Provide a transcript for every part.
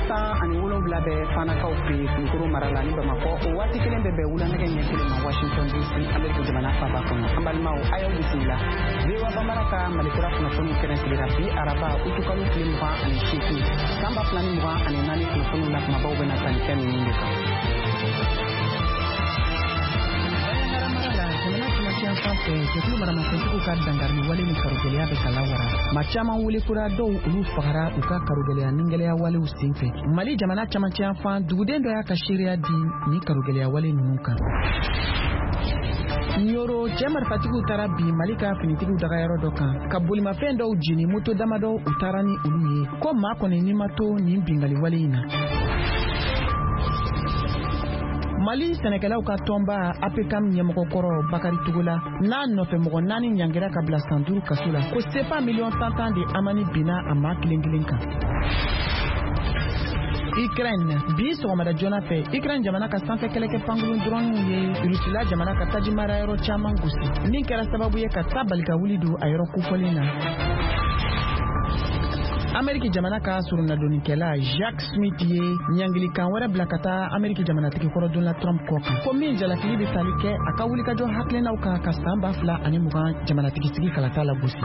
17 bɛ Fanakaw fɛ yen, Kulukoro mara la ni Bamakɔ. O waati kelen bɛ bɛn wulanɛgɛ ɲɛ 1 ma Washington DC, Ameriki jamana faaba kɔnɔ. An balimaw, a y'aw bisimila VOA Bambara ka Malikura kunnafoniw kɛnɛ sigira bi araba, utukalo tile 28, san 2024. Kunnafoniw na, kumabaw bɛna tali kɛ ninnu de kan. Jamana cɛmancɛ fan fɛ, jɛkulu maramafɛntigiw ka dankarili wale ni karogɛlɛya bɛ ka lawara. Maa caman wele kura dɔw, olu fagara u ka karogɛlɛya nigɛlɛya walew sen fɛ. Mali jamana cɛmancɛ fan, duguden dɔ y'a ka seereya di ni karogɛlɛya wale ninnu kan. Ɲoro, cɛ marifatigiw taara bin Mali ka finitigiw dagayɔrɔ dɔ kan, ka bolimafɛn dɔw jeni, moto damadɔ u taara ni olu ye, ko maa kɔni ni ma to nin bingali wale in na. Mali sɛnɛkɛlaw ka tɔnba APCAM ɲɛmɔgɔ kɔrɔ Bakari Togola n'a nɔfɛ mɔgɔ naani ɲangira ka bila san 5 kaso la, ko sefa miliyɔn tan tan de amani binna a maa kelen kelen kan. Ukraine, bi sɔgɔmada joona fɛ, Ukraine jamana ka sanfɛ kɛlɛkɛ pankurun drɔniw ye Rusila jamana ka taji marayɔrɔ caman gosi, min kɛra sababu ye ka ta bali ka wuli don a yɔrɔ kofɔlen na. Ameriki jamana ka soronadonnikɛla Jack Smith ye ɲangilikan wɛrɛ bila ka taa Ameriki jamanatigi kɔrɔ Donald Trump kɔ kan, ko min jalakili bɛ tali kɛ a ka wulikajɔ hakilinaw kan ka san 2020 jamanatigisigi kalata lagosi.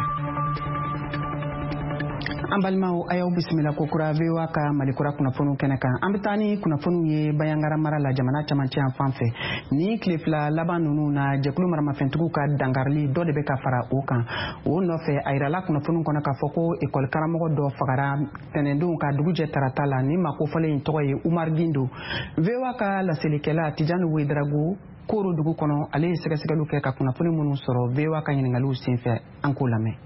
An balimaw, a y'aw bisimila kokura VOA ka Malikura kunnafoniw kɛnɛ kan. An bɛ taa ni kunnafoniw ye Bayangara mara la, jamana camancɛ yan fan fɛ. Ni tile 2 laban ninnu na, jɛkulu maramafɛntigiw ka dankarili dɔ de bɛ ka fara o kan. O nɔfɛ, a yirala kunnafoniw kɔnɔ k'a fɔ ko ekɔli karamɔgɔ dɔ fagara tɛnɛndon ka dugu jɛ tarata la. Ni maa kofɔlen in tɔgɔ ye Umar Gindo. VOA ka laselikɛla Tijani Wedarago, Koro dugu kɔnɔ, ale ye sɛgɛsɛgɛliw kɛ ka kunnafoni minnu sɔrɔ VOA ka ɲiningaliw senfɛ, an k'o lamɛn.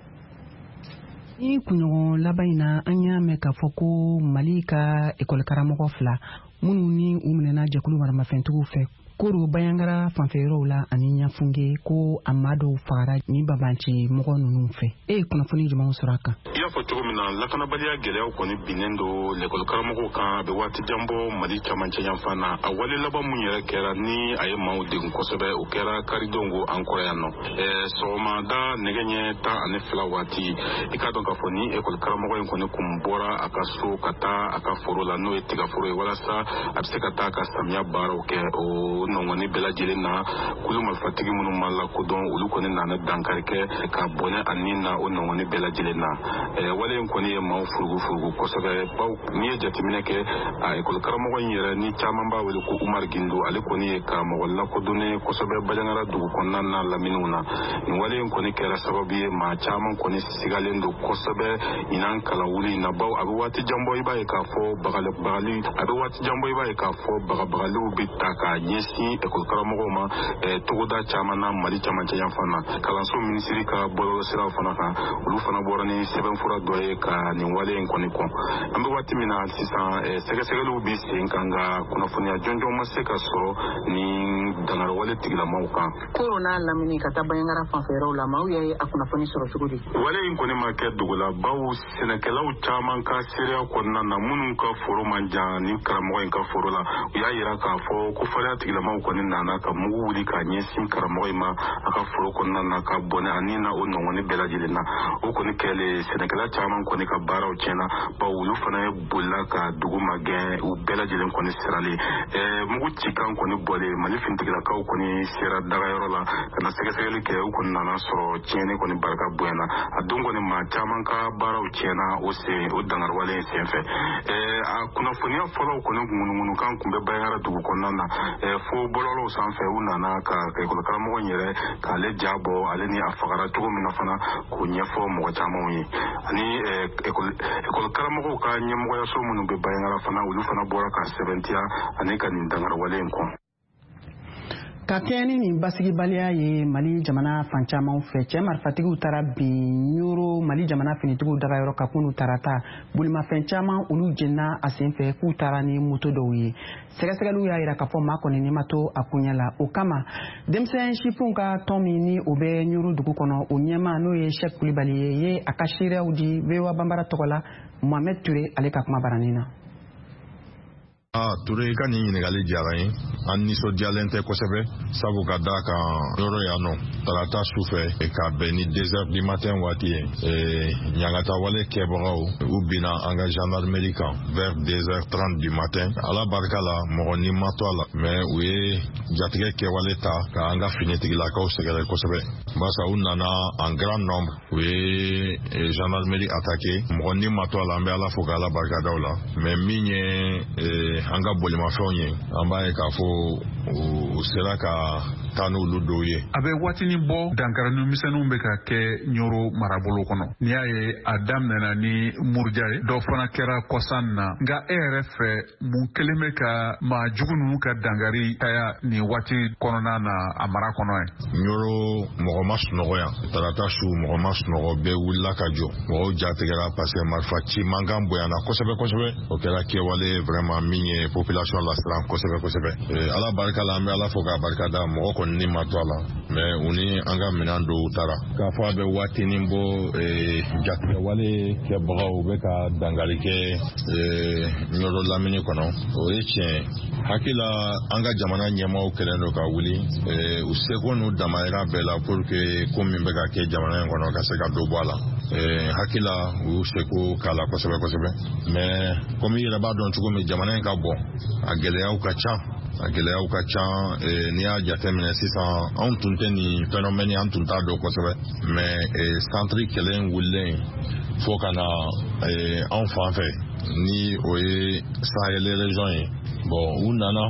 Ni kunɲɔgɔn laban in na, an y'a mɛn k'a fɔ ko Mali ka ekɔli karamɔgɔ fila minnu ni u minɛna jɛkulu maramafɛntigiw fɛ Koro Bayangara fanfɛ yɔrɔw la ani Ɲafunge, ko a maa dɔw fagara ni babanci mɔgɔ ninnu fɛ. E ye kunnafoni jumɛnw sɔrɔ a kan? I y'a fɔ cogo min na, lakanabaliya gɛlɛyaw kɔni binnen don lekɔli karamɔgɔw kan, a bɛ waati jan bɔ Mali camancɛ yanfan na. A wale laban mun yɛrɛ kɛra ni a ye maaw degun kosɛbɛ, o kɛra karidon ko an kɔrɔ yan nɔ, sɔgɔmada nɛgɛ ɲɛ 12 waati. I k'a dɔn k'a fɔ ni ekɔli karamɔgɔ in kɔni kun bɔra a ka so ka taa a ka foro la, n'o ye tigaforo ye, walasa a bɛ se ka taa ka samiya baaraw kɛ. O nɔngɔni bɛɛ lajɛlen na, kulu marifatigi minnu ma lakodɔn, olu kɔni nana dankari kɛ ka bɔnɛ a ni na o nɔngɔni bɛɛ lajɛlen na. Wale in kɔni ye maaw furugu furugu kosɛbɛ, baw n'i ye jateminɛ kɛ, a ekɔli karamɔgɔ in yɛrɛ ni caman b'a wele ko Umar Gindo, ale kɔni ye karamɔgɔ lakodɔnnen kosɛbɛ Bajangara dugu kɔnɔna na laminiw na. Nin wale in kɔni kɛra sababu ye, maa caman kɔni sigalen don kosɛbɛ ɲinan kalanwuli in na, baw a bɛ waati jan bɔ, i b'a ye k'a fɔ bagabagali a bɛ waati jan bɔ, i b'a ye k'a fɔ bagabagaliw bɛ ta k'a ɲɛsin ekɔli karamɔgɔw ma togoda caman na Mali camancɛ yanfan na. Kalanso minisiri ka bɔlɔlɔsiraw fana kan, olu fana bɔra ni sɛbɛnfura dɔ ye ka nin wale in kɔni kɔn. An bɛ waati min na sisan, sɛgɛsɛgɛliw bɛ sen kan, nka kunnafoniya jɔnjɔn ma se ka sɔrɔ ni dankariwale tigilamaw kan. Koro n'a lamini ka taa Bayangara fanfɛ yɔrɔw la, maaw ye a kunnafoni sɔrɔ cogo di? Wale in kɔni ma kɛ dogo la, baw sɛnɛkɛlaw caman ka seereya kɔnɔna na, minnu ka foro man jan ni karamɔgɔ in ka foro la, u y'a yira k'a fɔ ko fariya tigilamaw kɔni nana ka mugu wuli k'a ɲɛsin karamɔgɔ in ma a ka foro kɔnɔna na, ka bɔnɛ a ni na o nɔngɔni bɛɛ lajɛlen na. O kɔni kɛlen, sɛnɛkɛla caman kɔni ka baaraw tiɲɛna, baw olu fana ye bolila ka dugu magɛn, u bɛɛ lajɛlen kɔni siralen. Mugu cikan kɔni bɔlen, Mali finitigilakaw kɔni sera dagayɔrɔ la ka na sɛgɛsɛgɛli kɛ. U kɔni nana sɔrɔ tiɲɛni kɔni barika bonyana. A don kɔni, maa caman ka baaraw tiɲɛna o sen o dangariwale in senfɛ. A kunnafoniya fɔlɔw kɔni ŋunuŋunukan kun bɛ Bayangara dugu kɔnɔna na, fo bɔlɔlɔw sanfɛ, u nana ka ekɔli karamɔgɔ in yɛrɛ k'ale ja bɔ, ale ni a fagara cogo min na fana, k'o ɲɛfɔ mɔgɔ camanw ye. Ani ekɔli karamɔgɔw ka ɲɛmɔgɔyaso minnu bɛ Bayangara fana, olu fana bɔra ka sɛbɛntiya ani ka nin dangariwale in kɔn. Ka kɛɲɛ ni nin basigibaliya ye Mali jamana fan caman fɛ, cɛ marifatigiw taara bin Ɲoro, Mali jamana finitigiw dagayɔrɔ ka kunu tarata. Bolimafɛn caman, olu jenina a sen fɛ, k'u taara ni moto dɔw ye. Sɛgɛsɛgɛliw y'a yira k'a fɔ maa kɔni ni ma to a koɲɛ la. O kama, denmisɛn sifinw ka tɔn min ni o bɛ Ɲoro dugu kɔnɔ, o ɲɛmaa, n'o ye Sɛk Kulibali ye, ye a ka seereyaw di VOA Banbara tɔgɔ la Mohamed Ture ale ka kuma baranin na. Ah, Ture, i ka nin ɲininkali diyara n ye. An nisɔndiyalen tɛ kosɛbɛ, sabu ka d'a kan yɔrɔ yan nɔ, tarata su fɛ ka bɛn ni 2 heures du matin waati ye, ɲangatawale kɛbagaw, u binna an ka gendarmerie kan vers 2h30 du matin. Ala barika la, mɔgɔ ni ma to a la, mais u ye jatigɛ kɛwale ta ka an ka finitigilakaw sɛgɛrɛ kosɛbɛ, barisa u nana en grand nombre, u ye gendarmerie attaqué. Mɔgɔ ni ma to a la, an bɛ Ala fo k'Ala barika da o la. Mais min ye an ka bolimafɛnw ye, an b'a ye k'a fɔ u sera ka taa n'olu dɔw ye. A bɛ waatinin bɔ, dankarani misɛnninw bɛ ka kɛ Ɲoro marabolo kɔnɔ. N'i y'a ye, a daminɛna ni muruja ye, dɔ fana kɛra kɔsan na. Nka e yɛrɛ fɛ, mun kelen bɛ ka maa jugu ninnu ka dankari caya nin waati kɔnɔna na a mara kɔnɔ ye? Ɲoro, mɔgɔ ma sunɔgɔ yan. Tarata su, mɔgɔ ma sunɔgɔ, bɛɛ wulila ka jɔ. Mɔgɔw jatigɛra parce que marifa ci mankan bonyana kosɛbɛ kosɛbɛ. O kɛra kɛwale vraiment min ye population lasiran kosɛbɛ kosɛbɛ. Ala barika la, an bɛ Ala fo k'a barika da, mɔgɔ kɔni ni ma to a la, mais u ni an ka minɛn dɔw taara. K'a fɔ a bɛ waatinin bɔ, jatigɛwale kɛbagaw bɛ ka dankari kɛ Ɲɔrɔ lamini kɔnɔ, o ye tiɲɛ ye. Hakili la, an ka jamana ɲɛmaaw kɛlen don ka wuli u seko n'u damayira bɛɛ la pour que ko min bɛ ka kɛ jamana in kɔnɔ ka se ka dɔ bɔ a la. Hakili la, u y'u seko k'a la kosɛbɛ kosɛbɛ, mais komi i yɛrɛ b'a dɔn cogo min, jamana in ka bon, a gɛlɛyaw ka ca, a gɛlɛyaw ka ca. N'i y'a jateminɛ sisan, anw tun tɛ nin phénomène, an tun t'a dɔn kosɛbɛ, mais centre kɛlɛ in wulilen fo ka na anw fan fɛ, ni o ye Sahel région ye. Bon, u nana,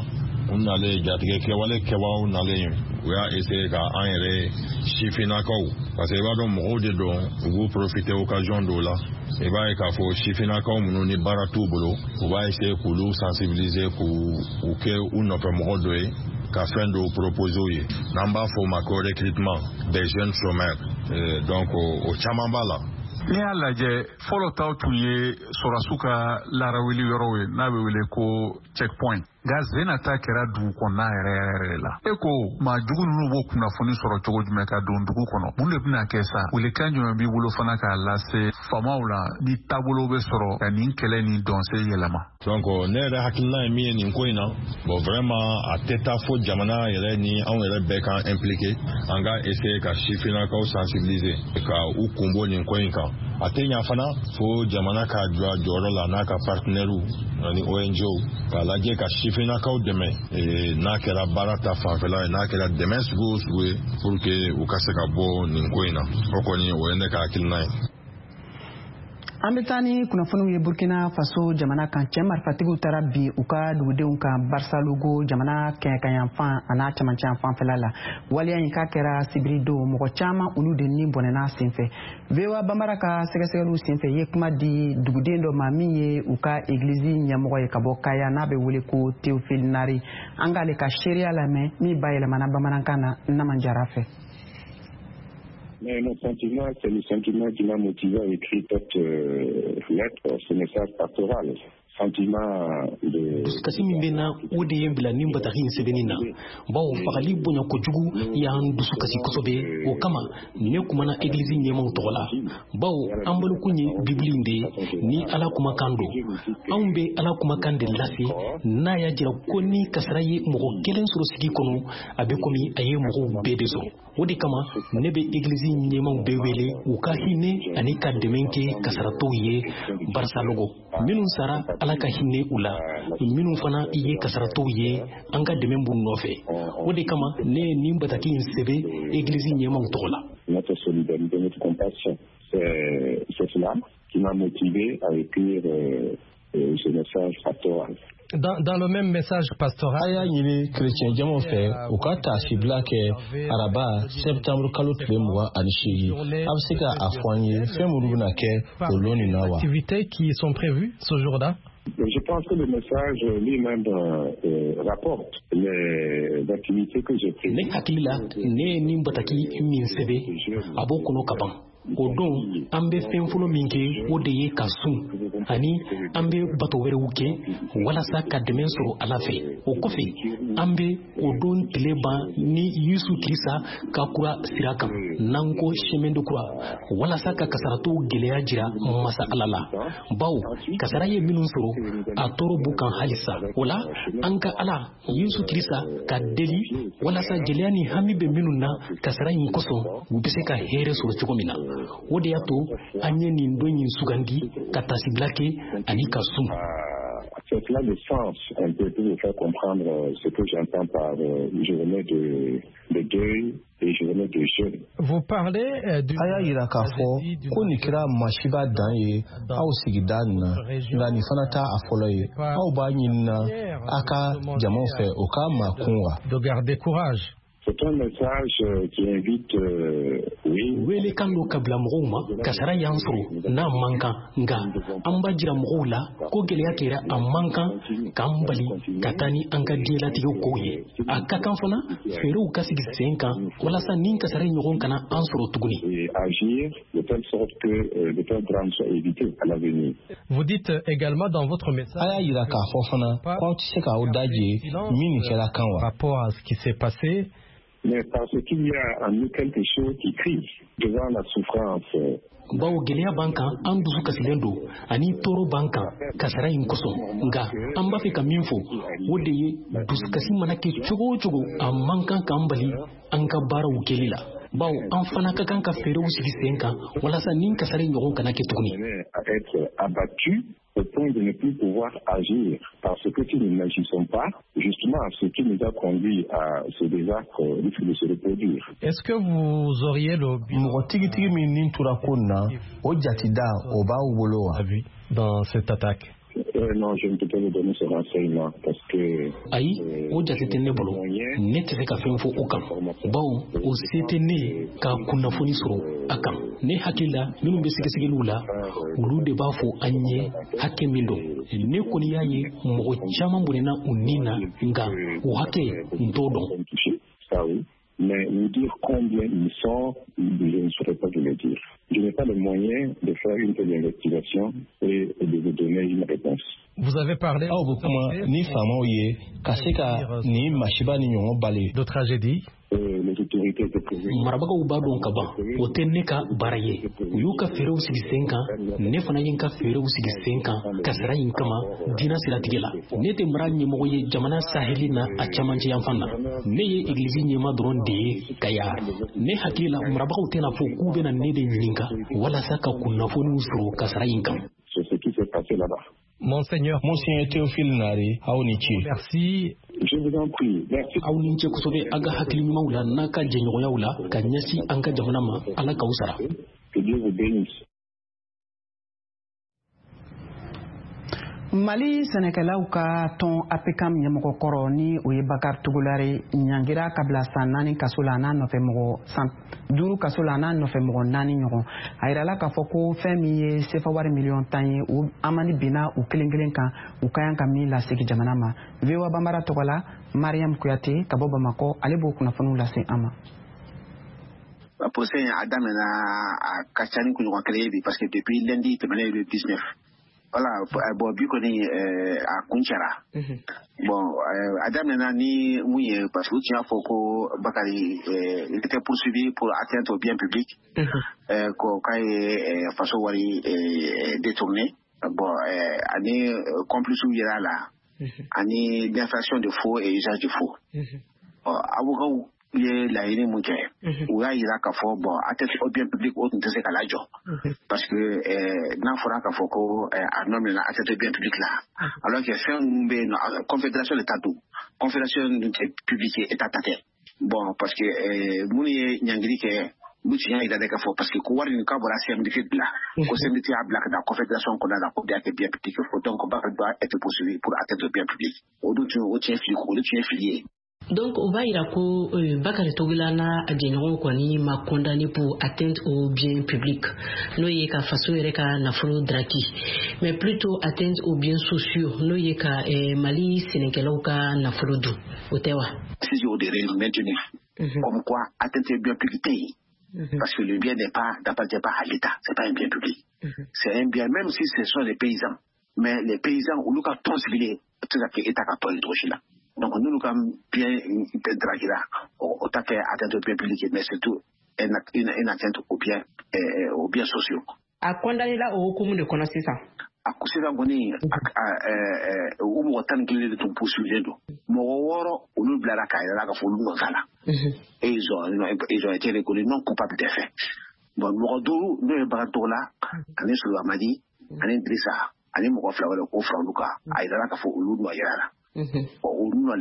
u nalen, jatigɛ kɛwale kɛbagaw nalen, u y'a essayer ka an yɛrɛ sifinnakaw, parce que i b'a dɔn, mɔgɔw de don, u b'u profiter occasion dɔw la. I b'a ye k'a fɔ sifinnakaw minnu ni baara t'u bolo, u b'a essayer k'olu sensibiliser, k'u u kɛ u nɔfɛ mɔgɔ dɔ ye, ka fɛn dɔw proposer u ye, n'an b'a fɔ o ma ko recrutement des jeunes chômeurs. Donc o caman b'a la. N'i y'a lajɛ, fɔlɔ taw tun ye sɔrɔdasiw ka larawuli yɔrɔw ye, n'a bɛ wele ko checkpoint. Nka zena ta kɛra dugu kɔnɔna yɛrɛ yɛrɛ de la. E ko maa jugu ninnu b'o kunnafoni sɔrɔ cogo jumɛn ka don dugu kɔnɔ? Mun de bɛna kɛ sa? Welekan jumɛn b'i bolo fana k'a lase faamaw la, ni taabolo bɛ sɔrɔ ka nin kɛlɛ nin dɔnse yɛlɛma? Donc ne yɛrɛ hakilina ye min ye nin ko in na, bon, vraiment, a tɛ taa fo jamana yɛrɛ ni anw yɛrɛ bɛɛ k'an impliqué. An ka essayer ka sifinnakaw sensibiliser ka u kun bɔ nin ko in kan. A tɛ ɲa fana fo jamana k'a jɔ a jɔyɔrɔ la n'a ka partenaires ani ONG k'a lajɛ ka sifinnakaw dɛmɛ, n'a kɛra baara ta fanfɛla ye, n'a kɛra dɛmɛ sugu o sugu ye, pour que u ka se ka bɔ nin ko in na. O kɔni, o ye ne ka hakilina ye. An bɛ taa ni kunnafoniw ye Burkina Faso jamana kan. Cɛ marifatigiw taara bi u ka dugudenw kan Barsalogho, jamana kɛɲɛkayanfan a n'a camancɛ fanfɛla la. Waleya in k'a kɛra sibiri don, mɔgɔ caman olu de ni bɔnɛna senfɛ. VOA Bambara ka sɛgɛsɛgɛliw senfɛ, ye kuma di duguden dɔ ma min ye u ka egilizi ɲɛmɔgɔ ye ka bɔ Kaya, n'a bɛ wele ko Théophile Nari. An k'ale ka seereya lamɛn min bayɛlɛmana bamanankan na Naman Jara fɛ. Mais mon sentiment, c'est le sentiment qui m'a motivé à écrire cette lettre, ce message pastoral. Sentiment de. Dusukasi min bɛ na, o de ye n bila nin bataki in sɛbɛnni na, bawo fagali bonya kojugu y'an dusu kasi kosɛbɛ. O kama ne kumana egilizi ɲɛmaw tɔgɔ la, bawo an bolokun ye Bibili in de ye, ni Ala kumakan don. Anw bɛ Ala kumakan de lase, n'a y'a jira ko ni kasara ye mɔgɔ kelen sɔrɔ sigi kɔnɔ, a bɛ komi a ye mɔgɔw bɛɛ de sɔrɔ. O de kama ne bɛ egilizi ɲɛmaw bɛɛ wele u ka hinɛ ani ka dɛmɛ kɛ kasaratɔw ye Barsalogho. Minnu sara, Ala ka hinɛ u la. Minnu fana ye kasaratɔw ye, an ka dɛmɛ b'u nɔfɛ. O de kama ne ye nin bataki in sɛbɛn egilizi ɲɛmaw tɔgɔ la. Notre solidarité, notre compassion. C'est cela qui m'a motivé à écrire ce message pastoral. Dans le même message pastoral, A y'a ɲini kerecɛn jamaw fɛ u ka taasibila kɛ araba sɛptanburu kalo tile 28. A bɛ se ka a fɔ an ye fɛn minnu bɛna kɛ o lon nin na wa? Activités qui sont prévues ce jour-là. Je pense que le message lui-même rapporte les activités que j'ai prévues. Ne hakili la, ne ye nin bataki min sɛbɛn, a b'o kɔnɔ ka ban. O don, an bɛ fɛn fɔlɔ min kɛ, o de ye ka sun, ani an bɛ bato wɛrɛw kɛ walasa ka dɛmɛ sɔrɔ Ala fɛ. O kɔfɛ, an bɛ o don tile ban ni Yesu Kirisa ka kura sira kan, n'an ko chemin de croix, walasa ka kasaratɔw gɛlɛya jira Masa Ala la, bawo kasara ye minnu sɔrɔ, a tɔɔrɔ b'u kan halisa. O la, an ka Ala Yesu Kirisa ka deli walasa gɛlɛya ni hami bɛ minnu na kasara in kosɔn, u bɛ se ka hɛrɛ sɔrɔ cogo min na. O de y'a to an ye nin don in sugandi ka tasibila kɛ ani ka sun. C'est là le sens un peu pour vous faire comprendre ce que j'entends par journée de deuil et journée de jeûne. Vous parlez du A y'a yira k'a fɔ ko nin kɛra masiba dan ye aw sigida nin na, nka nin fana t'a a fɔlɔ ye. Aw b'a ɲinina a ka jamaw fɛ o k'a makun wa? De garder courage. C'est un message qui invite, oui. Welekan don ka bila mɔgɔw ma, kasara y'an sɔrɔ n'a man kan, nka an b'a jira mɔgɔw la ko gɛlɛya kɛra, a man kan k'an bali ka taa ni an ka diɲɛlatigɛ kow ye. A ka kan fana fɛɛrɛw ka sigi sen kan walasa nin kasara ɲɔgɔn kana an sɔrɔ tuguni. Et agir de telle sorte que de tels drames soient évités à l'avenir. Vous dites également dans votre message. A y'a yira k'a fɔ fana k'aw tɛ se k'aw daje min nin kɛra kan wa? Par rapport à ce qui s'est passé. Mais parce qu'il y a en nous quelque chose qui crie devant la souffrance. Bawo gɛlɛya b'an kan, an dusu kasilen don ani tɔɔrɔ b'an kan kasara in kosɔn, nka an b'a fɛ ka min fɔ, o de ye dusukasi mana kɛ cogo o cogo, a man kan k'an bali an ka baaraw kɛli la, bawo an fana ka kan ka fɛɛrɛw sigi sen kan walasa nin kasara ɲɔgɔn kana kɛ tuguni. À être abattu au point de ne plus pouvoir agir, parce que si nous n'agissons pas, justement, ce qui nous a conduit à ce désastre risque de se reproduire. Est-ce que vous auriez le Mɔgɔ tigitigi min nin tora ko nin na, o jatida o b'aw bolo wa? Dans cette attaque? Non, je ne peux pas vous donner ce renseignement parce que. Ayi, o jate tɛ ne bolo. Ne tɛ se ka fɛn fɔ o kan, bawo o se tɛ ne ye ka kunnafoni sɔrɔ a kan. Ne hakili la, minnu bɛ sɛgɛsɛgɛliw la, olu de b'a fɔ an ye hakɛ min don. Ne kɔni y'a ye mɔgɔ caman bɔnɛna u ni na, nka o hakɛ n t'o dɔn. Ça oui. Mais vous dire combien ils sont, je ne saurais pas vous le dire. Je n'ai pas les moyens de faire une telle investigation et de vous donner une réponse. Vous avez parlé Aw bɛ kuma ni faamaw ye ka se ka nin masiba ni ɲɔgɔn bali. De tragédie. Les autorités étaient prévenues. Marabagaw b'a dɔn ka ban, o tɛ ne ka baara ye. U y'u ka fɛɛrɛw sigi sen kan, ne fana ye n ka fɛɛrɛw sigi sen kan kasara in kama diinɛ siratigɛ la. Ne tɛ mara ɲɛmɔgɔ ye jamana saheli na a camancɛ yanfan na. Ne ye egilizi ɲɛma dɔrɔn de ye Kaya. Ne hakili la, marabagaw tɛna fɔ k'u bɛna ne de ɲininka walasa ka kunnafoniw sɔrɔ kasara in kan. C'est ce qui s'est passé là-bas. Monseigneur. Monseigneur Théophile Nare, aw ni ce. Merci. Je vous en prie. Merci. Aw ni ce kosɛbɛ a ka hakili ɲumanw la n'a ka jɛɲɔgɔnyaw la ka ɲɛsin an ka jamana ma. Ala k'aw sara. Que Dieu vous bénisse. Mali sɛnɛkɛlaw ka tɔn APCAM ɲɛmɔgɔ kɔrɔ, ni o ye Bakari Togola ye, ɲangira ka bila san 4 kaso la, a n'a nɔfɛ mɔgɔ san 5 kaso la, a n'a nɔfɛ mɔgɔ 4 ɲɔgɔn. A yirala k'a fɔ ko fɛn min ye sefa wari miliyɔn 10 ye, o amani binna u kelen kelen kan, u ka kan ka min lasegin jamana ma. VOA Banbara tɔgɔ la, Mariam Kuyate ka bɔ Bamakɔ, ale b'o kunnafoniw lase an ma. Procès a daminɛna, a ka ca ni kunɲɔgɔn kelen ye bi, parce que depuis lundi tɛmɛnen, le 19. Voilà, bon, bi kɔni a kuncɛra. Bon, a daminɛna ni mun ye? Parce que u tun y'a fɔ ko Bakari, il était poursuivi pour atteinte au bien public, ko k'a ye faso wari détourné. Bon, ani complice yɛrɛ a la, ani l'infraction de faux et usage de faux. Avocat ye laɲini mun kɛ? U y'a yira k'a fɔ, bon, atteinte au bien public, o tun tɛ se ka lajɔ, parce que n'a fɔra k'a fɔ ko a nɔ minɛna atteinte au bien public la, alors que fɛn minnu bɛ yen nɔ, confédération de ta don, confédération dun tɛ public ye, état ta tɛ. Bon, parce que minnu ye ɲangili kɛ, olu tun y'a yira de k'a fɔ, parce que ko wari nin k'a bɔra CMDT de la, ko CMDT y'a bila ka taa confédération kɔnɔna la, ko de y'a kɛ bien public. Donc Bakari doit être poursuivi pour atteinte au bien public. O dun tun o tiɲɛ fili, o de tun ye fili ye. Donc o b'a yira ko Bakari Togola n'a jɛɲɔgɔnw kɔni ma condamné pour atteinte au bien public, n'o ye ka faso yɛrɛ ka nafolo draki, mais plutôt atteinte aux biens sociaux, n'o ye ka Mali sɛnɛkɛlaw ka nafolo dun, o tɛ wa? Si o de maintenu comme quoi atteinte au bien public tɛ yen. Parce que le bien n'est pas, n'appartient pas à l'État, c'est pas un bien public. C'est un bien, même si ce sont des paysans. Mais les paysans, olu ka tɔn sigilen tɛ se ka kɛ État ka tɔn ye cogo si la. Donc n'olu ka bien draguera, o ta kɛ atteinte au bien public, mais surtout une atteinte aux biens sociaux. A condamné la o hukumu de kɔnɔ sisan. A ko sisan kɔni, u mɔgɔ 11 de tun poursuivilen don. Mɔgɔ 6, olu bilara k'a yɛrɛ k'a fɔ olu nɔ t'a la. Et ils ont été reconnus non coupables des faits. Bon, mɔgɔ 5, n'o ye Bakari Togola ani Solo Amadi ani Dirisa ani mɔgɔ 2 wɛrɛ, k'o fara olu kan, a yirala k'a fɔ olu nɔ yɛrɛ la. Bon, u nɔ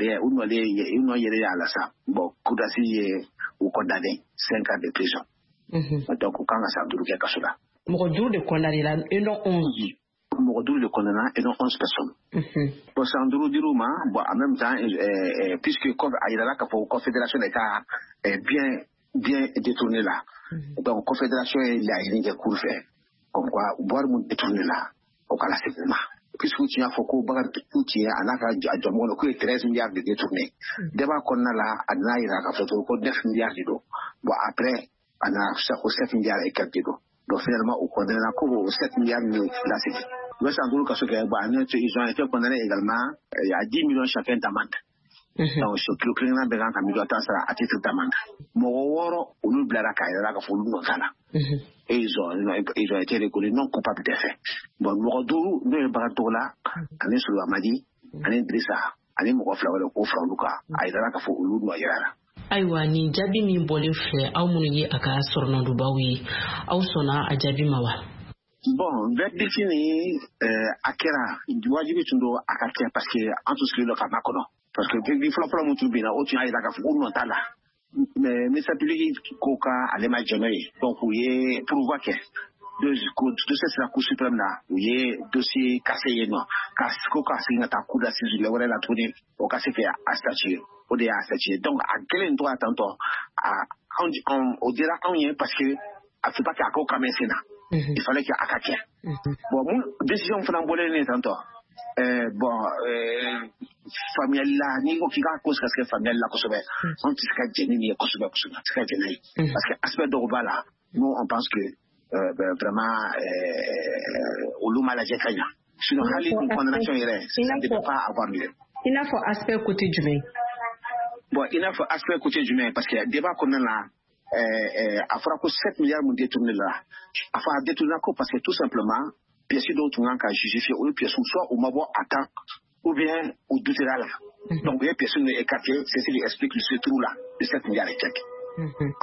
yɛrɛ y'a la sa. Bon, cour d'assises ye u condamné 5 ans de prison. Donc u kan ka san 5 kɛ kaso la. Mɔgɔ 5 de condamné la et non 11. Mɔgɔ 5 de condamné et non 11 personnes. Bon, san 5 dir'u ma. Bon, en même temps, puisque a yirala k'a fɔ confédération de ka bien détourné la, donc confédération ye laɲini kɛ cour fɛ comme quoi wari mun détourné la, o kana segin u ma, puisque u tun y'a fɔ ko Bakari tun ye a n'a ka jɔnmɔgɔ k'u ye 13 milliards de détourné. Débat kɔnɔna la, a nana yira k'a fɔ ko 9 milliards de don. Bon, après a nana ko 7 milliards et quelques de don. Donc finalement u condamné ko o 7 milliards min lasegin. U bɛ san 5 kaso kɛ. Bon, ils ont été condamnés également à 10 millions chacun d'amende. Donc so kilo kelen bɛɛ kan ka 10 000 000 sara à titre d'amende. Mɔgɔ 6, olu bilara k'a yɛrɛ k'a fɔ olu nɔ t'a la. Et ils ont été reconnus non coupables des faits. Bon, mɔgɔ 5, n'o ye Bakari Togola ani Solo Amadi ani Dirisa ani mɔgɔ 2 wɛrɛ, k'o fara olu kan, a yirala k'a fɔ olu nɔ yɛrɛ la. Ayiwa, nin jaabi min bɔlen filɛ, aw minnu ye a ka sɔrɔnɔdubaw ye, aw sɔnna a jaabi ma wa? Bon, verdict ni a kɛra, wajibi tun don a ka kɛ, parce que an tun sigilen don ka makɔnɔ, parce que verdict fɔlɔ-fɔlɔ mun tun binna, o tun y'a yira k'a fɔ ko nɔ t'a la. Mais ministère public ko ka ale ma jɛn n'o ye, donc u ye pourvoi kɛ. Dossier sera Cour suprême na, u ye dossier cassé yen nɔ, ka ko ka segin ka taa cour d'assises wɛrɛ la tuguni, o ka se kɛ a statuer. O de y'a statuer. Donc a kɛlen tora tantɔ, a anw o dira anw ye, parce que a faut pas que a ko ka mɛn sen na, il fallait que a ka kɛ. Bon, mun décision fana bɔlen ne tantɔ, bon, faamuyali la, n'i ko k'i k'a ko ka se faamuyali la kosɛbɛ, anw tɛ se ka jɛn ni nin ye kosɛbɛ kosɛbɛ, a tɛ se ka jɛn n'a ye, parce que aspect dɔw b'a la, nous on pense que ben, vraiment olu ma lajɛ ka ɲa. Sinon hali ni condamnation yɛrɛ, ça ne devait pas avoir lieu. I n'a fɔ aspect côté jumɛn? Bon, i n'a fɔ aspect côté jumɛn, parce que débat kɔnɔna la, a fɔra ko 7 milliards mun détourné la, a fɔ a détourné ko parce que tout simplement pièces dɔw tun kan ka justifier, olu pièces soit u ma bɔ à temps ou bien u doutera la. Donc u ye pièces ninnu écarté, c'est ce qui explique ce trou là de 7 milliards et quelques.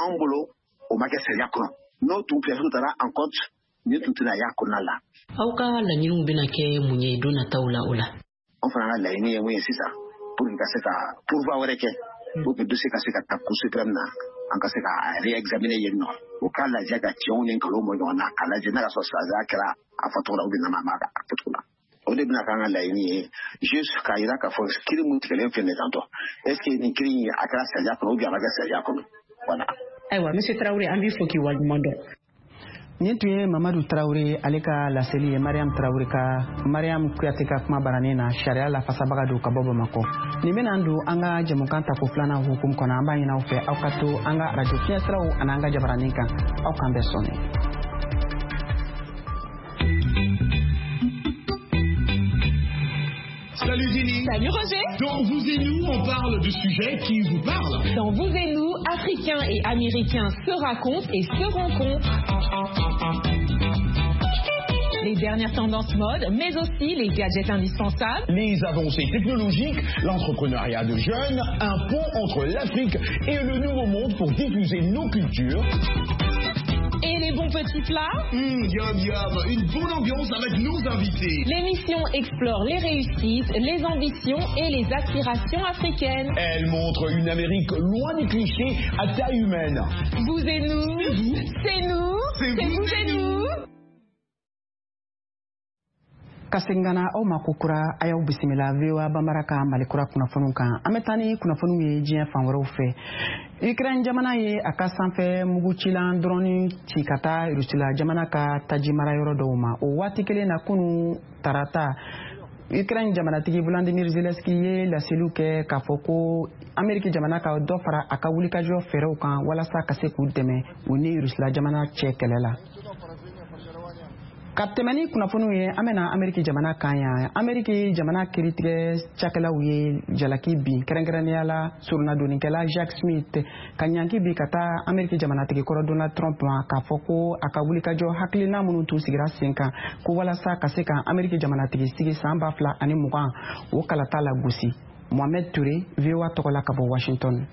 Anw bolo, o ma kɛ sariya kɔnɔ. N'o tun pièces taara en compte, nin tun tɛna y'a kɔnɔna la. Aw ka laɲiniw bɛna kɛ mun ye don nataw la o la? An fana ka laɲini ye mun ye sisan, pour que ka se ka pourvoi wɛrɛ kɛ, pour que dossier ka se ka taa Cour suprême na, an ka se ka réexaminer yen nɔ, o k'a lajɛ ka tiɲɛw ni nkalonw bɔ ɲɔgɔn na, k'a lajɛ n'a ka sɔrɔ sariya kɛra a fɔcogo la ou bien n'a ma a fɔcogo la. O de bɛna k'an ka laɲini ye, juste k'a yira k'a fɔ kiiri mun tigɛlen filɛ nin ye tantɔ, est ce que nin kiiri in a kɛra sariya kɔnɔ ou bien a ma kɛ sariya kɔnɔ? Voilà. Ayiwa, monsieur Tarawele, an b'i fo k'i waleɲuman dɔn. Nin tun ye Mamadu Tarawele, ale ka laseli ye Mariam Tarawele ka, Mariam Kuyate ka kuma baranin na, sariya lafasabaga don ka bɔ Bamakɔ. Nin bɛna don an ka jɛmukan tako filanan hukumu kɔnɔ. An b'a ɲini aw fɛ, aw ka to an ka arajo fiɲɛsiraw ani an ka jabaranin kan. Aw k'an bɛɛ sɔnni. Salut Zélie. Salut Roger. Dans Vous et nous, on parle de sujets qui vous parlent. Dans Vous et nous, Africains et Américains se racontent et se rencontrent. Les dernières tendances mode, mais aussi les gadgets indispensables. Les avancées technologiques, l'entrepreneuriat de jeunes, un pont entre l'Afrique et le Nouveau Monde pour diffuser nos cultures. Et les bons petits plats. Yum yum, une bonne ambiance avec nos invités. L'émission explore les réussites, les ambitions et les aspirations africaines. Elle montre une Amérique loin des clichés, à taille humaine. Vous et nous, c'est nous, c'est vous et nous. Ka segin ka na aw ma kokura, a y'aw bisimila VOA Bambara ka Malikura kunnafoniw kan. An bɛ taa ni kunnafoniw ye diɲɛ fan wɛrɛw fɛ. Ukraine jamana ye a ka sanfɛ mugucilan dɔrɔni ci ka taa Rusila jamana ka taji mara yɔrɔ dɔw ma. O waati kelen na, kunu tarata, Ukraine jamanatigi Vladimir Zelensky ye laseliw kɛ k'a fɔ ko Ameriki jamana ka dɔ fara a ka wulikajɔ fɛɛrɛw kan walasa ka se k'u dɛmɛ u ni Rusila jamana cɛ kɛlɛ la. Ka tɛmɛ ni kunnafoniw ye, an bɛna Ameriki jamana kan yan. Ameriki jamana kiritigɛ cakɛlaw ye jalaki bin, kɛrɛnkɛrɛnnenya la soronadonnikɛla Jack Smith, ka ɲanki bi ka taa Ameriki jamanatigi kɔrɔ Donald Trump ma, k'a fɔ ko a ka wulikajɔ hakilina minnu tun sigira sen kan ko walasa ka se ka Ameriki jamanatigi sigi san 2020, o kalata la gosi. Mohamed Touré, VOA tɔgɔ la ka bɔ Washington.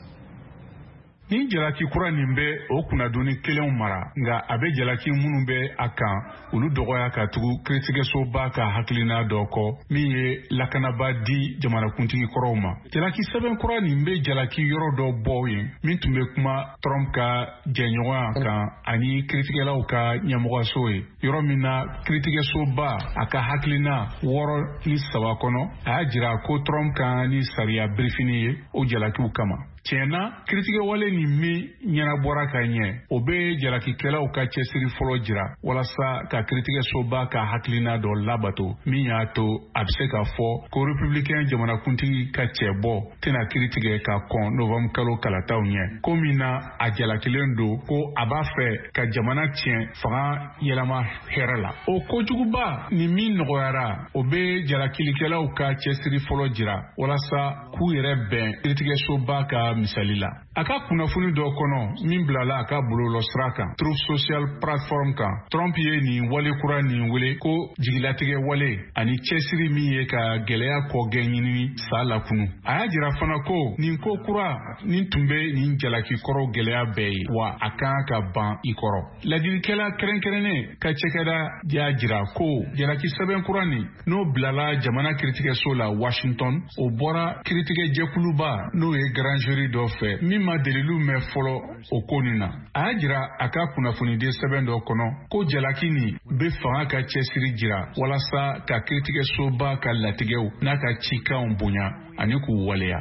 Ni jalaki kura nin bɛ o kunnadonni kelenw mara, nka a bɛ jalaki minnu bɛ a kan, olu dɔgɔya ka tugu kiiritigɛsoba ka hakilina dɔ kɔ min ye lakanaba di jamanakuntigi kɔrɔw ma. Jalaki sɛbɛn kura nin bɛ jalaki yɔrɔ dɔ bɔ yen min tun bɛ kuma Trump ka jɛɲɔgɔnya kan ani kiiritigɛlaw ka ɲɛmɔgɔso ye, yɔrɔ min na kiiritigɛsoba a ka hakilina 63 kɔnɔ, a y'a jira ko Trump ka ni sariya birifini ye o jalakiw kama. Tiɲɛ na, kiritigɛwale nin min ɲɛnabɔra ka ɲɛ, o bɛ jalakikɛlaw ka cɛsiri fɔlɔ jira walasa ka kiritigɛsoba ka hakilina dɔ labato min y'a to a bɛ se ka fɔ ko republicain jamanakuntigi ka cɛbɔ tɛna kiritigɛ ka kɔn novembre kalo kalataw ɲɛ, ko min na a jalakilen don ko a b'a fɛ ka jamana tiɲɛ fanga yɛlɛma hɛrɛ la. O kojuguba nin min nɔgɔyara, o bɛ jalakilikɛlaw ka cɛsiri fɔlɔ jira walasa k'u yɛrɛ bɛn kiritigɛsoba ka misali la. A ka kunnafoni dɔ kɔnɔ min bilala a ka bɔlɔlɔsira kan Truth Social platform kan, Trump ye nin wale kura nin wele ko jigilatigɛ wale ani cɛsiri min ye ka gɛlɛya kɔgɛn ɲinini sa lakunu. A y'a jira fana ko nin ko kura nin tun bɛ nin jalaki kɔrɔw gɛlɛya bɛɛ ye, wa a kan ka ban i kɔrɔ. Ladilikɛla kɛrɛnkɛrɛnnen ka cɛkɛda y'a jira ko jalaki sɛbɛn kura nin n'o bilala jamana kiritigɛso la Washington, o bɔra kiritigɛjɛkuluba n'o ye grand jury dɔ fɛ min ma deliliw mɛn fɔlɔ o ko nin na. A y'a jira a ka kunnafoniden sɛbɛn dɔ kɔnɔ ko jalaki nin bɛ fanga ka cɛsiri jira walasa ka kiritigɛsoba ka latigɛw n'a ka cikanw bonya ani k'u waleya.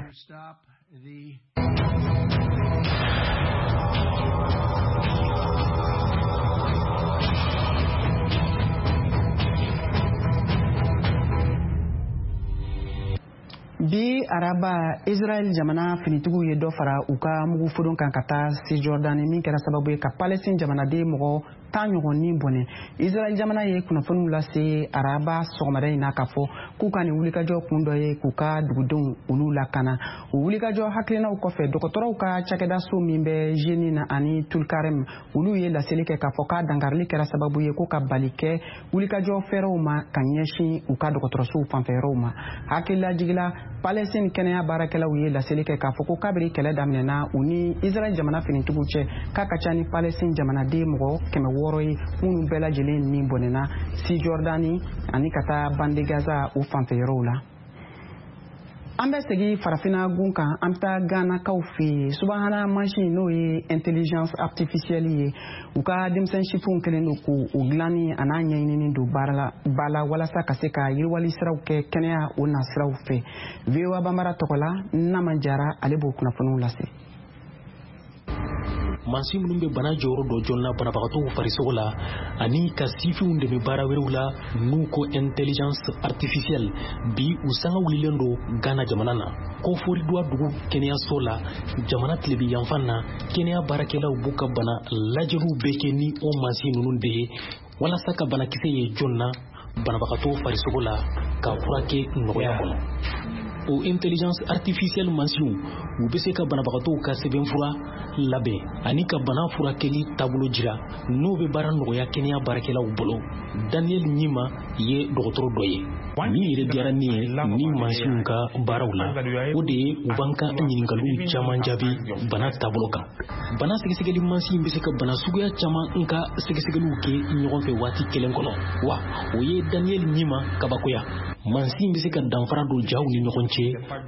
Bi araba, Israel jamana finitigiw ye dɔ fara u ka mugufodon kan ka taa Cisjordanie, min kɛra sababu ye ka Palestine jamanaden mɔgɔ 10 ɲɔgɔn ni bɔnɛ. Israel jamana ye kunnafoniw lase araba sɔgɔmada in na k'a fɔ k'u ka nin wulikajɔ kun dɔ ye k'u ka dugudenw olu lakana. O wulikajɔ hakilinaw kɔfɛ, dɔgɔtɔrɔw ka cakɛdaso min bɛ Jenin ani Tulkarem, olu ye laseli kɛ k'a fɔ k'a dankarili kɛra sababu ye ko ka bali kɛ wulikajɔ fɛɛrɛw ma ka ɲɛsin u ka dɔgɔtɔrɔsow fanfɛyɔrɔw ma. Hakililajigila, Palestine kɛnɛya baarakɛlaw ye laseli kɛ k'a fɔ ko kabiri kɛlɛ daminɛna u ni Israel jamana finitigiw cɛ, k'a ka ca ni Palestine jamanaden mɔgɔ 600 ye minnu bɛɛ lajɛlen ni bɔnɛna Cisjordanie ani ka taa bande Gaza o fanfɛyɔrɔw la. An bɛ segin farafinna gun kan, an bɛ taa Ghanakaw fɛ yen. Subahana mansin n'o ye intelligence artificielle ye, u ka denmisɛn sifinw kɛlen don k'o dilanni a n'a ɲɛɲinini don ba la walasa ka se ka yiriwali siraw kɛ kɛnɛya o nasiraw fɛ. VOA Bambara tɔgɔ la, Nama Jara ale b'o kunnafoniw lase. Mansin minnu bɛ bana jɔyɔrɔ dɔ jɔn na banabagatɔw farisogo la ani ka sifinw dɛmɛ baara wɛrɛw la n'u ko intelligence artificielle, bi u sanga wulilen don Ghana jamana na. Koforidua dugu kɛnɛyaso la, jamana tilebi yanfan na, kɛnɛya baarakɛlaw b'u ka bana lajɛliw bɛɛ kɛ ni o mansin ninnu de ye walasa ka banakisɛ ye jɔn na banabagatɔw farisogo la ka furakɛ nɔgɔya kɔnɔ. O intelligence artificielle mansinw, u bɛ se ka banabagatɔw ka sɛbɛnfura labɛn ani ka bana furakɛli taabolo jira n'o bɛ baara nɔgɔya kɛnɛya baarakɛlaw bolo. Daniel Ɲima ye dɔgɔtɔrɔ dɔ ye. Min yɛrɛ diyara ne ye ni mansinw ka baaraw la, o de ye u b'an ka ɲininkaliw caman jaabi bana taabolo kan. Bana sɛgɛsɛgɛli mansin bɛ se ka bana suguya caman ka sɛgɛsɛgɛliw kɛ ɲɔgɔn fɛ waati kelen kɔnɔ, wa o ye Daniel Ɲima kabakoya. Mansin bɛ se ka danfara don jaw ni ɲɔgɔn cɛ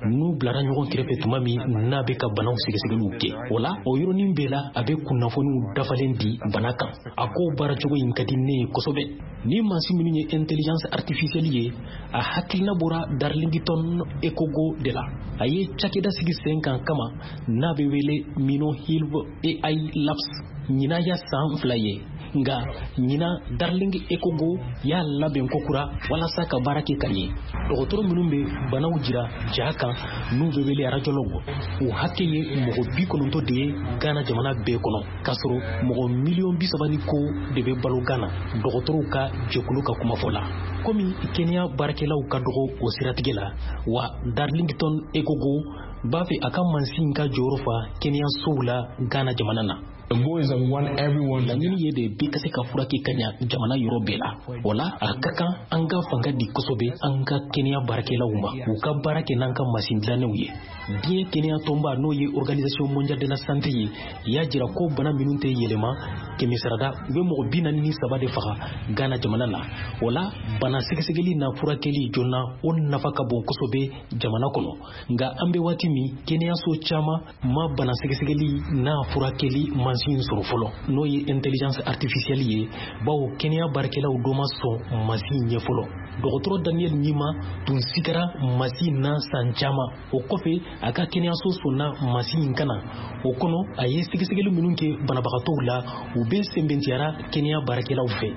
n'u bilara ɲɔgɔn kɛrɛfɛ tuma min n'a bɛ ka banaw sɛgɛsɛgɛliw kɛ. O la, o yɔrɔnin bɛɛ la, a bɛ kunnafoniw dafalen di bana kan. A ko baaracogo in ka di ne ye kosɛbɛ. Ni mansin minnu ye intelligence artificielle ye, a hakilina bɔra Darlington Ekogo de la. A ye cakɛda sigi sen kan kama n'a bɛ wele Mino Hill AI Labs. Ɲinan ya san 2 ye. Nka ɲinan, Darling Ekogo y'a labɛn kokura walasa ka baara kɛ ka ɲɛ. Dɔgɔtɔrɔ minnu bɛ banaw jira ja kan, n'u bɛ wele radiologue, o hakɛ ye mɔgɔ 90 de ye Ghana jamana bɛɛ kɔnɔ, k'a sɔrɔ mɔgɔ miliyɔn 30 ni ko de bɛ balo Ghana, dɔgɔtɔrɔw ka jɛkulu ka kumafɔ la. Komi kɛnɛya baarakɛlaw ka dɔgɔ o siratigɛ la wa, Darlington Ekogo b'a fɛ a ka mansin ka jɔyɔrɔ fa kɛnɛyasow la Ghana jamana na. Laɲini ye de bɛɛ ka se ka furakɛ ka ɲa jamana yɔrɔ bɛɛ la. O la, a ka kan an ka fanga di kosɛbɛ an ka kɛnɛya baarakɛlaw ma, u ka baara kɛ n'an ka masin dilannenw ye. Diɲɛ kɛnɛya tɔnba, n'o ye Organisation mondiale de la santé ye, y'a jira ko bana minnu tɛ yɛlɛma, kɛmɛ sarada, u bɛ mɔgɔ 43 de faga Ghana jamana na. O la, bana sɛgɛsɛgɛli n'a furakɛli joona, o nafa ka bon kosɛbɛ jamana kɔnɔ. Nka an bɛ waati min, kɛnɛyaso caman ma bana sɛgɛsɛgɛli n'a furakɛli mansin sɔrɔ fɔlɔ, n'o ye intelligence artificielle ye, bawo kɛnɛya baarakɛlaw dɔ ma sɔn mansin ɲɛ fɔlɔ. Dɔgɔtɔrɔ Daniel Ɲima tun sigara mansin na san caman. O kɔfɛ, a ka kɛnɛyaso sɔnna mansin in kana o kɔnɔ. A ye sɛgɛsɛgɛli minnu kɛ banabagatɔw la, u bɛɛ sɛnbɛntiyara kɛnɛya baarakɛlaw fɛ.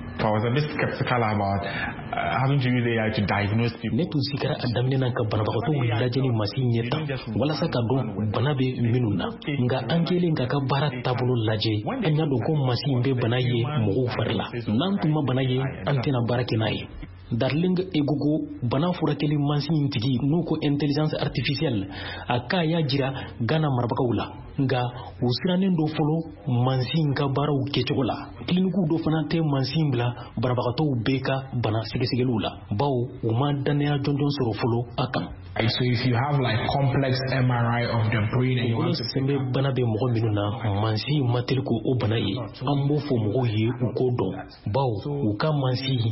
Ne tun sigara a daminɛ na ka banabagatɔw lajɛ ni mansin ɲɛ tan walasa ka dɔn bana bɛ minnu na. Nka an kɛlen k'a ka baara taabolo lajɛ, an y'a dɔn ko mansin bɛ bana ye mɔgɔw fari la. N'an tun ma bana ye, an tɛna baara kɛ n'a ye. Darling Egogo, bana furakɛli mansin tigi, n'o ko intelligence artificielle, a k'a y'a jira Ghana marabagaw la. Nka u sirannen dɔ fɔlɔ mansin ka baaraw kɛcogo la. Kilinikiw dɔ fana tɛ mansin bila banabagatɔw bɛɛ ka bana sɛgɛsɛgɛliw la, bawo u ma dannaya jɔnjɔn sɔrɔ fɔlɔ a kan. So if you have like complex MRI of the brain and you want to sɛnbɛ bana bɛ mɔgɔ minnu na, mansin ma teli ko o bana ye. An b'o fɔ mɔgɔw ye u k'o dɔn, bawo u ka mansin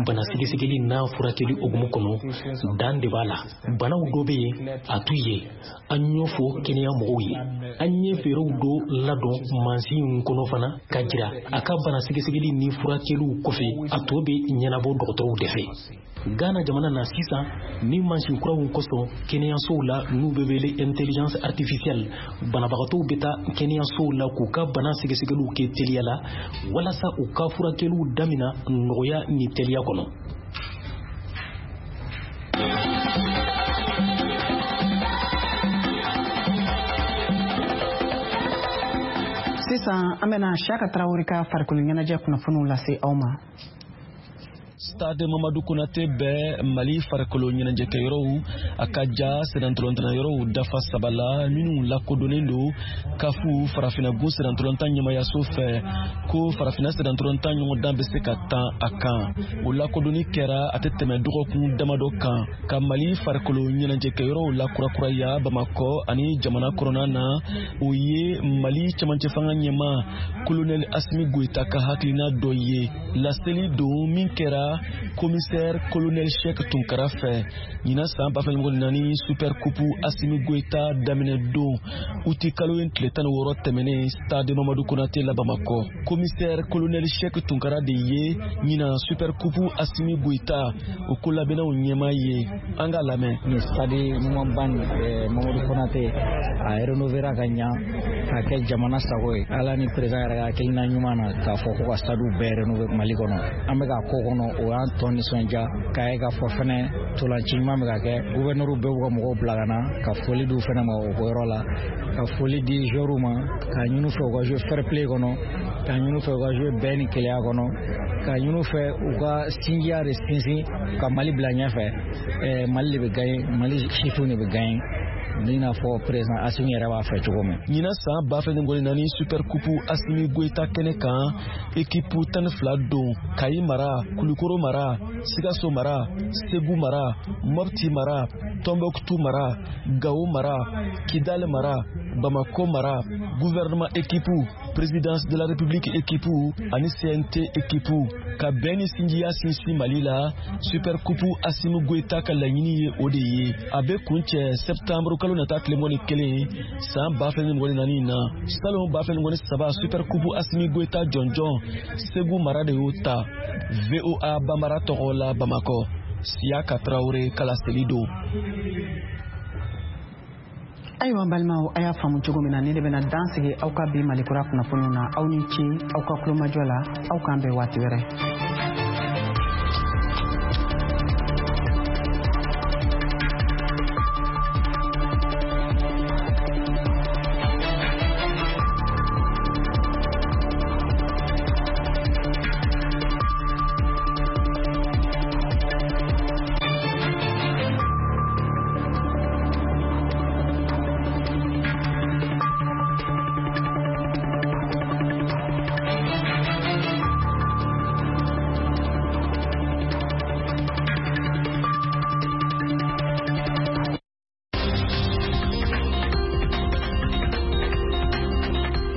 bana sɛgɛsɛgɛli n'a furakɛli hukumu kɔnɔ, dan de b'a la. Banaw dɔ bɛ yen, a t'u ye. An y'o fɔ kɛnɛya mɔgɔw ye. An ye fɛɛrɛw dɔ ladɔn mansin kɔnɔ fana ka jira a ka bana sɛgɛsɛgɛli ni furakɛliw kɔfɛ, a tɔ bɛ ɲɛnabɔ dɔgɔtɔrɔw de fɛ. Ghana jamana na sisan, ni mansin kuraw kosɔn kɛnɛyasow la, n'u bɛ wele intelligence artificielle, banabagatɔw bɛ taa kɛnɛyasow la k'u ka bana sɛgɛsɛgɛliw kɛ teliya la, walasa u ka furakɛliw damina nɔgɔya ni teliya kɔnɔ. Sisan, an bɛna Siyaka Tarawele ka farikolo ɲɛnajɛ kunnafoniw lase aw ma. Stade Mamadu Konate bɛ Mali farikolo ɲɛnajɛkɛyɔrɔw a ka ja sennantolatan yɔrɔw dafa saba la minnu lakodɔnnen don kafu farafinagun sennantolatan ɲɛmayaso fɛ, ko farafina sennantolatan ɲɔgɔndan bɛ se ka tan a kan. O lakodɔnni kɛra a tɛ tɛmɛ dɔgɔkun damadɔ kan ka Mali farikolo ɲɛnajɛkɛyɔrɔw lakurakuraya Bamakɔ ani jamana kɔnɔna na. O ye Mali cɛmancɛ fanga ɲɛmaa Kolonɛli Asimi Goyita ka hakilina dɔ ye. Laseli don min kɛra commissaire colonel Cheikh Tunkara fɛ ɲinan san 2024 Super Coupe Asimi Goyita daminɛ don, uti kalo in tile 16 tɛmɛnen, stade Mamadu Konate la Bamakɔ. Commissaire colonel Cheikh Tunkara de ye ɲinan Super Coupe Asimi Goyita o ko labɛnnaw ɲɛmaa ye. An k'a lamɛn. Ni stade ɲumanba Mamadu Konate, a rénovéra ka ɲa k'a kɛ jamana sago ye. Ala ni président yɛrɛ ka hakilina ɲuman na k'a fɔ ko ka stade bɛɛ rénover Mali kɔnɔ, an bɛ k'a ko kɔnɔ, o y'an tɔ nisɔndiya k'a ye k'a fɔ fɛnɛ ntolanci ɲuman bɛ ka kɛ. Gouverneur bɛɛ b'u ka mɔgɔw bila ka na ka foli d'u fɛnɛ ma o yɔrɔ la, ka foli di joueurs ma, k'a ɲini fɛ u ka jouer fair play kɔnɔ, k'a ɲini fɛ u ka jouer bɛn ni kelenya kɔnɔ, k'a ɲini fɛ u ka sinjiya de sinsin ka Mali bila ɲɛfɛ. Mali de bɛ gagner, Mali sifinw de bɛ gagner, i n'a fɔ président Asimi yɛrɛ b'a fɛ cogo min. Ɲinan san 2024 Super Coupe Asimi Goyita kɛnɛ kan, équipe 12 don: Kayi mara, Kulukoro mara, Sikaso mara, Segu mara, Mopti mara, Tombouctou mara, Gao mara, Kidal mara, Bamako mara, gouvernement équipe, présidence de la République équipe ani CNT équipe. Ka bɛn ni sinjiya sinsin Mali la, Super Coupe Asimi Goyita ka laɲini ye o de ye. A bɛ kuncɛ septembre kalo nata tile 21 san 2024 na. Salon 2023 Super Coupe Asimi Goyita jɔnjɔn, Segu mara de y'o ta. VOA Bambara tɔgɔ la Bamakɔ, Siyaka Tarawele ka laseli don. Ayiwa, n balimaw, a y'a faamu cogo min na, ni de bɛna dan sigi aw ka bi Malikura kunnafoniw na. Aw ni ce aw ka kulomajɔ la. Aw k'an bɛn waati wɛrɛ.